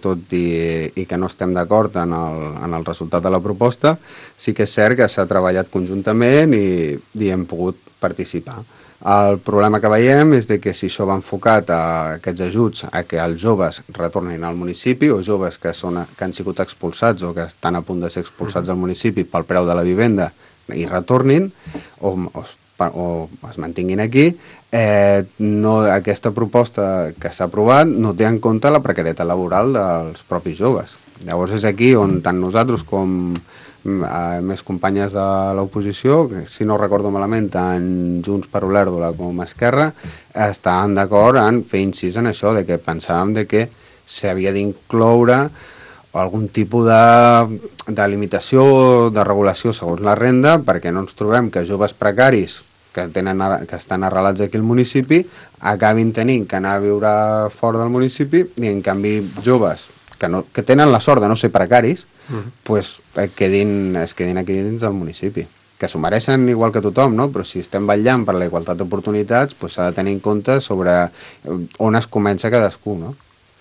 tot i que no estem d'acord en el resultat de la proposta, sí que és cert que s'ha treballat conjuntament i hem pogut participar. El problema que veiem és que si això va enfocat a aquests ajuts a que els joves retornin al municipi o joves que han sigut expulsats o que estan a punt de ser expulsats del municipi pel preu de la vivenda i retornin o es mantinguin aquí, aquesta proposta que s'ha aprovat no té en compte la precarietat laboral dels propis joves. Llavors és aquí on tant nosaltres com més companyes de l'oposició, si no recordo malament, tant Junts per Olèrdola com Esquerra, estaven d'acord en fer incís en això, de que pensàvem que s'havia d'incloure algun tipus de limitació o de regulació segons la renda, perquè no ens trobem que joves precaris que estan arrelats aquí al municipi acabin tenint que anar a viure fora del municipi i en canvi joves que tenen la sort de no ser precaris pues, es quedin aquí dins del municipi, que s'ho mereixen igual que tothom, no? Però si estem vetllant per la igualtat d'oportunitats pues, s'ha de tenir en compte sobre on es comença cadascú, no?